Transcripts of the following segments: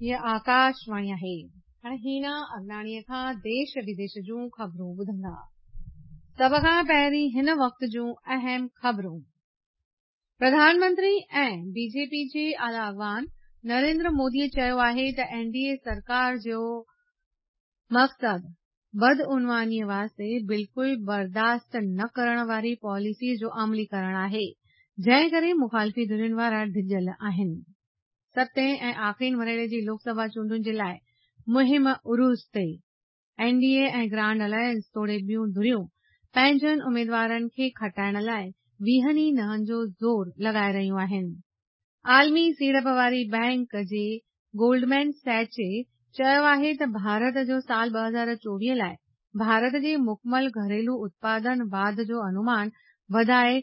هيء آڪاشواڻي آهي. هاڻي هينا اگناڻيء کان ديش وديش جون خبرون ٻڌندا. سڀ کان پهرين هن وقت جون اهم خبرون. پرڌان منتري ۽ بي جي پي جي اعليٰ اڳواڻ نريندر موديء چيو آهي ته اين ڊي اي سرڪار جو مقصد بدعنوانيء واسطي بلڪل برداشت نه ڪرڻ واري پاليسيء جو عملي ڪرڻ آهي، جنهن ڪري مخالفي ڌرين وارا ڊڄل آهن. ستين ۽ آخرين مرحلي جي لوڪ سڀا چونڊن جي لاء مهم عروج تي، N D A ۽ grand alliance توڙي ٻيون ڌريون پنهنجن اميدوارن کي کٽائڻ لاء ويهن ئي نهن جو زور لڳائي رهيون آهن. عالمي سيڙپ واري بئنڪ جي گولڊمين سيچ چيو آهي ته ڀارت جو سال 2024 لاء ڀارت جي مڪمل گهريلو اتپادن واڌ جو انومان وڌائي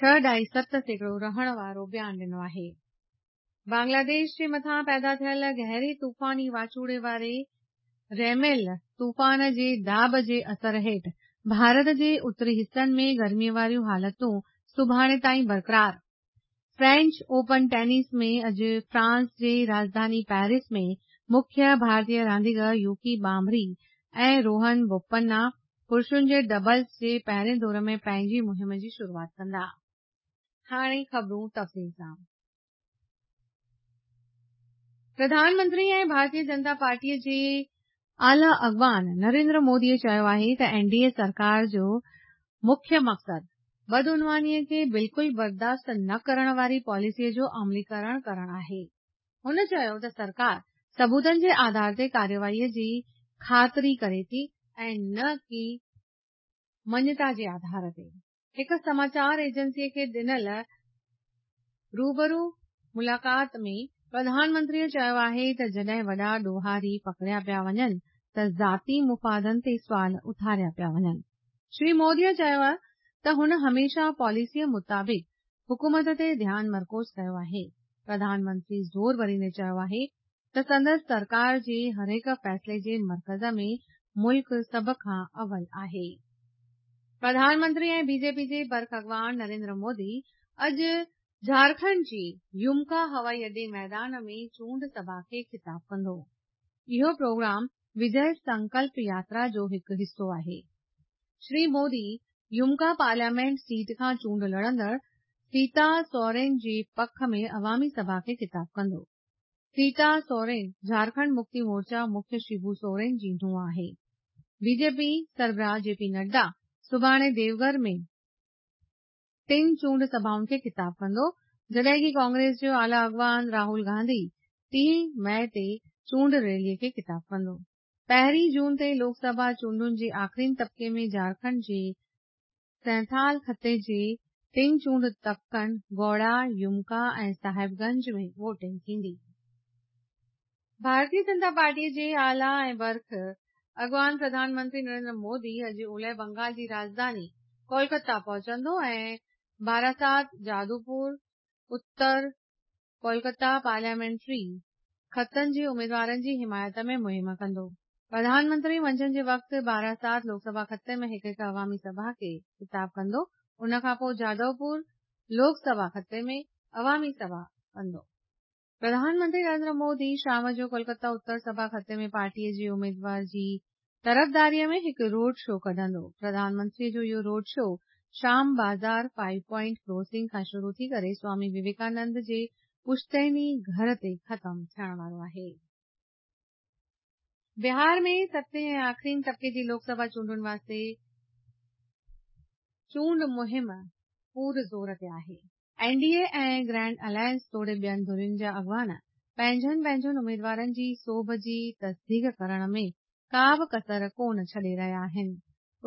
6.7% رهڻ وارو بيان ڏنو آهي. بنگلاديش جي مٿان پيدا ٿيل گهري طوفاني واچوڙي واري ريميل طوفان جي داٻ جي اثر هيٺ ڀارت جي اتري حصن ۾ گرمي واريون حالتون سڀاڻي تائين برقرار. فرينچ اوپن ٽينس ۾ اڄ فرانس جي راڄڌاني پيرس ۾ مکيه ڀارتي رانديگر يوڪي ٻانڀري ۽ روهن بوپنا پرشن جي ڊبلز جي پهرين دور ۾ پنهنجي مهم جي شروعات ڪندا. هاڻي خبرون تفصيل سان. پرڌان منتري ۽ ڀارتي جنتا پارٽيء جي اعليٰ اڳواڻ نريندر موديء چيو آهي ته اين ڊي اي سرڪار جو مکيه مقصد بدعنوانيء کي بلڪل برداشت نه ڪرڻ واري پاليسيء جو عمليڪرڻ ڪرڻ آهي. هن چيو ته سرڪار ثبوتن جي آڌار تي ڪارروائيء جي خاطري ڪري ٿي ۽ نه ڪي مڃتا جي آڌار تي. هڪ سماچار ايجنسيء کي ڏنل روبرو ملاقات ۾ پرڌان منتريء چيو آهي ته جڏهن وڏا ڏوهاري پڪڙيا پيا وڃن ته ذاتي مفادن تي سوال اٿاريا پيا وڃن. شري موديء چيو ته هن هميشه پاليسيء مطابق حڪومت تي ڌيان مرڪوز ڪيو آهي. پرڌان منتري زور ڀريندي چيو آهي ته سندس سرڪار جي هرهڪ فيصلي جي مرڪز ۾ ملڪ سڀ کان اول آهي. پرڌان منتري ۽ بي جي پي جي برک اڳواڻ نريندر مودي اڄ جهارکنڊ جي يمڪا هوائي اڏي ميدان ۾ چونڊ سڀا کي خطاب ڪندو. اهو پروگرام وجي سنڪلپ ياترا جو هڪ حصو آهي. شري مودي يمڪا پارليامينٽ سيٽ کان چونڊ لڙندڙ سيتا سورين جي پک ۾ عوامي سڀا کي خطاب ڪندو. سيتا سورين جهارکنڊ مڪتي مورچا مکيه شيبو سورين جي نونهن آهي. بي جي پي سربراهه جي پي نڊا سڀاڻي ديوگهر ۾ ٽن چونڊ سڀائن کي خطاب ڪندو، جڏهن ڪي ڪانگريس جو اعليٰ اڳواڻ راهول گانڌي 30 مئي تي چونڊ ريلي کي خطاب ڪندو. پهرين جون تي لوڪ سڀا چونڊن جي آخرين طبقي ۾ جهارکنڊ جي سينٿال خطي جي ٽن چونڊ تڪن گوڙا، يمڪا ۽ صاحب گنج ۾ ووٽنگ ٿيندي. ڀارتي جنتا پارٽيء جي اعليٰ ۽ برک اڳواڻ پرڌان منتري نريندر مودي اڄ اولهه بنگال جي راڄڌاني ڪولڪتا پهچندو ۽ باراسات، جادوپور، اتر ڪولڪتا پارليامينٽري خطن جي اميدوارن جي حمايت ۾ مهم ڪندو. پرڌان منتري منجهند جي وقت باراسات لوڪ سڀا خطي ۾ هڪ هڪ عوامي سڀا کي خطاب ڪندو. ان کانپوء جادوپور لوڪ سڀا خطي ۾ عوامي سڀا ڪندو. پرڌان منتري نريندر مودي شام جو ڪولڪتا اتر سڀا خطي ۾ پارٽي جي اميدوار جي طرفداريء ۾ هڪ روڊ شو ڪڍندو. پرڌان منتريء جو اهو road show Shyam Bazar five point crossing کان شروع ٿي ڪري سوامي وويڪانند جي پشتيني گهر تي ختم ٿيڻ وارو آهي. بهار ۾ ستين ۽ آخرين طبقي جي لوڪ سڀا چونڊن واسطي چونڊ مهم پور زور تي آهي. N D A ۽ grand alliance توڙي ٻين ڌرين جا اڳواڻ پنهنجن پنهنجن اميدوارن جي سوڀ جي تصديق ڪرڻ ۾ ڪا به ڪسر ڪونه ڇڏي رهيا آهن.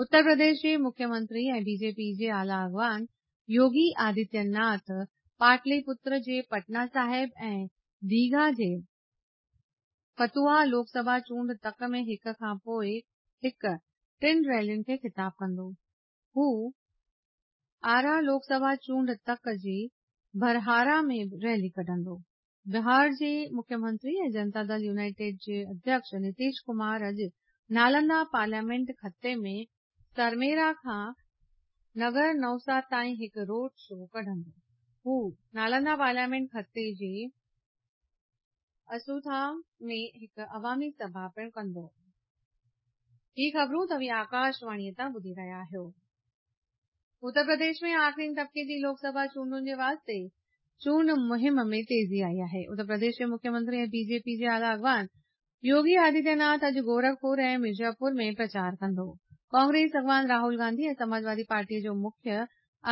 اتر پرديش جي مکيه منتري ۽ بي جي پي جي اعليٰ اڳواڻ يوگي آدتيه ناٿ پاٽلي پتر جي پٽنا صاحب ۽ ديگها جي فتوحا لوڪ سڀا چونڊ تڪ ۾ هڪ کان پوء هڪ ٽن ريلين کي خطاب ڪندو. هو آرا لوڪ سڀا چونڊ تڪ جي ڀرهارا ۾ به ريلي ڪڍندو. بهار جي مکيه منتري ۽ جنتا دل يونائيٽيڊ جي اڌيڪش نتيش ڪمار اڄ نالندا پارليامينٽ خطي ۾ سرميرا کان نگر نوسا تائين هڪ روڊ شو ڪڍندو. هو نالندا پارليامينٽ خطي جي. اسوٿا ۾ هڪ عوامي سڀا پڻ ڪندو. هي خبرون توهين آڪاشواڻيء تان ٻڌي رهيا آهيو. اتر پرديش ۾ آخرين طبقي جي لوڪ سڀا چونڊن جي واسطي چونڊ مهم ۾ تيزي آئي آهي. اتر پرديش جي مکيه منتري ۽ بي جي پي جي اعليٰ اڳواڻ يوگي آدتيه ناٿ اڄ گورکپور ۽ مرزاپور ۾ پرچار ڪندو. ڪانگريس اڳواڻ راهول گانڌي ۽ سماجوادي پارٽيء جو مکيه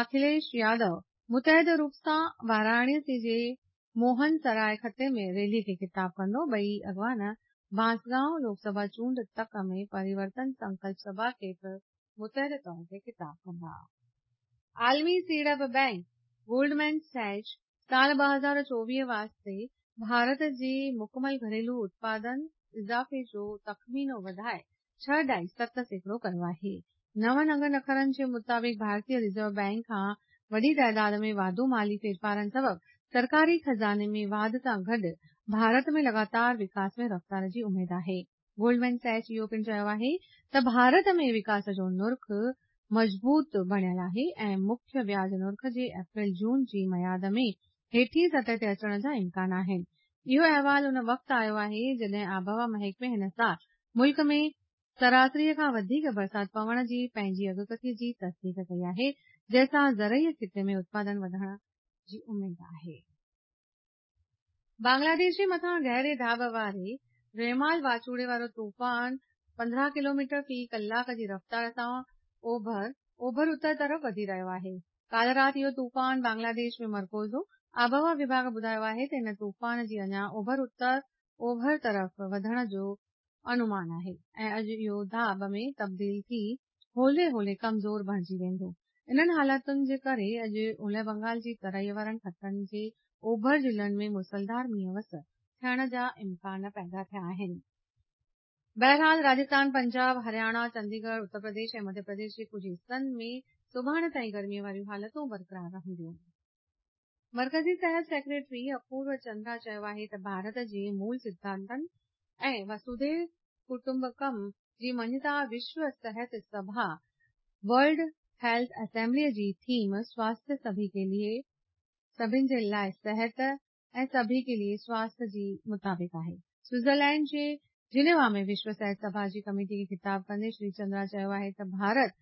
اکليش يادو متحده روپ سان واراڻسي جي موهن سراء خطي ۾ ريلي کي خطاب ڪندو. ٻئي اڳواڻ بانسگائون لوڪ سڀا چونڊ تڪ ۾ پريورتن سنڪلپ سڀا کي به متحده طور تي خطاب ڪندا. عالمي سيڙپ بئنڪ گولڊمين سيچ سال 2024 واسطي ڀارت جي مڪمل گهريلو اتپادن اضافي جو تخمينو وڌائي 6.7% ڪيو آهي. نون انگن اکرن جي مطابق ڀارتي رزرو بئنڪ کان وڏي تعداد ۾ واڌو مالي ڦيرڦارن سبب سرڪاري خزاني ۾ واڌ سان گڏ ڀارت ۾ لڳاتار وڪاس ۾ رفتار جي اميد آهي. گولڊمين سيچ اهو پڻ چيو آهي ته ڀارت ۾ وڪاس جو نرخ مضبوط بڻيل آهي ۽ مکيه وياج نرخ جي اپريل جون جي ميعاد ۾ هيٺين سطح تي اچڻ جا امڪان آهن. اهو احوال ان وقت آيو آهي جڏهن آبهوا محڪمي هن سال ملڪ ۾ سراسريء کان وڌيڪ برسات پوڻ جي پنهنجي اڳڪٿي جي تصديق ڪئي آهي، جنهن سان زرعي خطي ۾ اتپادن وڌڻ جي اميد آهي. بنگلاديش جي مٿان گهري ڌاٻ واري ريمال واچوڙي وارو طوفان 15 ڪلوميٽر في ڪلاڪ جي رفتار سان اوڀر، اوڀر اتر طرف وڌي رهيو آهي. ڪالهه رات اهو طوفان بنگلاديش ۾ مرڪوز هو. آبهوا وڀاڳ ٻڌايو آهي ته ان طوفان جي اڃا اوڀر اتر اوڀر طرف وڌڻ جو انومان آهي ۽ اڄ اهو ڌاٻ ۾ تبديل ٿي هولي هولي ڪمزور بڻجي ويندو. انهن حالتن جي ڪري اڄ اولهه بنگال جي ترائي وارن خطن جي اوڀر ضلعن ۾ مسلڌار مينهن وس ٿيڻ جا امڪان پيدا ٿيا آهن. بهرحال راجستان، پنجاب، هرياڻا، چنديڳڙهه، اتر پرديش ۽ مڌيه پرديش جي ڪجهه حصن ۾ سڀاڻي تائين گرمي واريون حالتون برقرار رهنديون. مرڪزي صحت سيڪريٽري اپورو چندرا چيو آهي ته ڀارت جي مول سڌانتن ۽ وسوديو ڪٽنبڪم جي مڃتا وشو صحت سڀا، ورلڊ هيلٿ اسيمبلي، جي ٿيم سواسٿ سڀي ڪي ليي، سڀن جي لاء صحت، ۽ سڀي ڪي ليي سواسٿ جي مطابق آهي. سوئٽزرلينڊ جي جنيوا ۾ وشو صحت سڀا جي ڪميٽي کي خطاب ڪندي شري چندرا چيو آهي ته ڀارت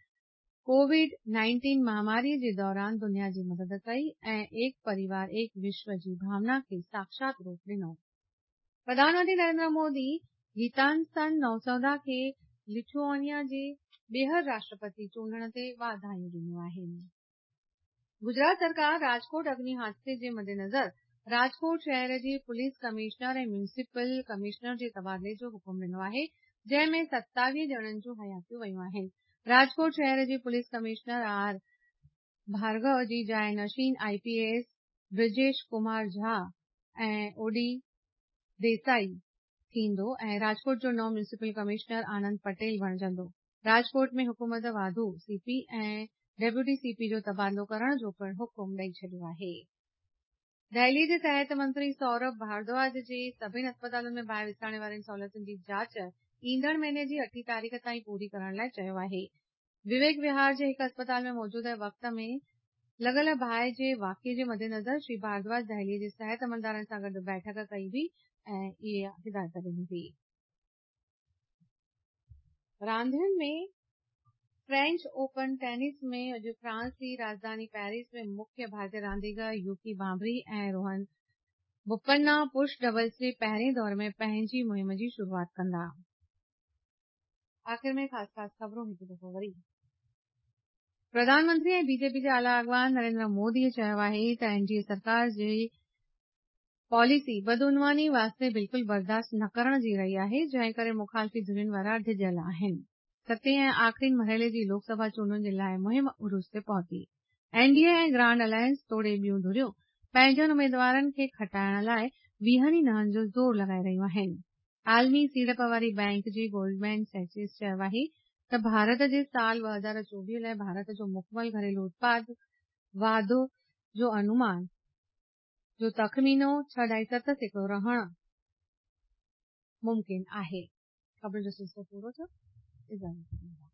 ڪووڊ 19 مهاماري جي دوران دنيا جي مدد ڪئي ۽ ايڪ پريوار ايڪ وشو جي ڀاونا کي ساڪشات روپ ڏنو. پرڌان منتري نريندر مودي گيتانسن نوسودا کي لٿوانيا جي ٻيهر راشٽرپتي چونڊڻ تي واڌايون ڏنيون آهن. گجرات سرڪار راجڪوٽ اگني حادثي جي مدنظر راجڪوٽ شهر جي پوليس ڪمشنر ۽ ميونسپل ڪمشنر جي تبادلي جو حڪم ڏنو آهي، جنهن ۾ 27 ڄڻن جون حياتيون ويون آهن. راجڪوٽ شهر جي پوليس ڪمشنر آر ڀارگو جي جاء نشين I P S Brijesh Kumar Jha ۽ O D Desai ٿيندو ۽ راجڪوٽ جو نئون ميونسپل ڪمشنر آنند پٽيل بڻجندو. راجڪوٽ ۾ حڪومت واڌو سي پي ۽ ڊپٽي سي پي جو تبادلو ڪرڻ جو پڻ حڪم ڏئي ڇڏيو آهي. دهلي جي صحت منتري سورڀ ڀاردواج جي سڀني اسپتالن ۾ باهه وساڻي وارين سهولتن جي جاچ ايندڙ مهيني جي اٺين تاريخ تائين پوري ڪرڻ لاء چيو آهي. وويڪ وهار جي هڪ اسپتال ۾ موجوده وقت ۾ لڳل باهه جي واقعي جي مدنظر شري ڀاردواج دهلي جي صحت عملدارن سان گڏ بيٺڪ ڪئي هئي ۽ اها هدايت ڏني هئي. راندين ۾ فرينچ اوپن ٽينس ۾ اڄ فرانس جي راڄڌاني پيرس ۾ مکيه ڀارتي رانديگر يوڪي ڀانڀري ۽ روهن بوپنا پرش ڊبلز جي پهرين دور ۾ پنهنجي مهم جي شروعات ڪندا. آخر ۾ خاص خاص خبرون هڪ دفعو وري. پرڌان منتري ۽ بي جي پي جي اعليٰ اڳواڻ نريندر مودي چيو آهي ته اين ڊي اي سرڪار جي پاليسي بدعنواني واسطي بلڪل برداشت نه ڪرڻ جي رهي آهي، جنهن ڪري مخالفي ڌرين وارا ڊڄل آهن. ستين ۽ آخرين مرحلي جي لوڪ سڀا چونڊن جي لاء مهم عروج تي پهتي. N D A ۽ grand alliance توڙي ٻيون ڌريون پنهنجن اميدوارن کي کٽائڻ لاء ويهن ئي نهن جو زور لڳائي رهيون آهن. عالمي سيڙپ واري بئنڪ جي گولڊمين سيچس چيو آهي ته ڀارت جي سال 2024 لاء ڀارت جو مڪمل گهريلو اتپاد واڌ جو انومان جو تخمينو 6.7% رهڻ ممڪن آهي. خبرن جو سلسلو پورو ٿيو. اجازت ڏيندا.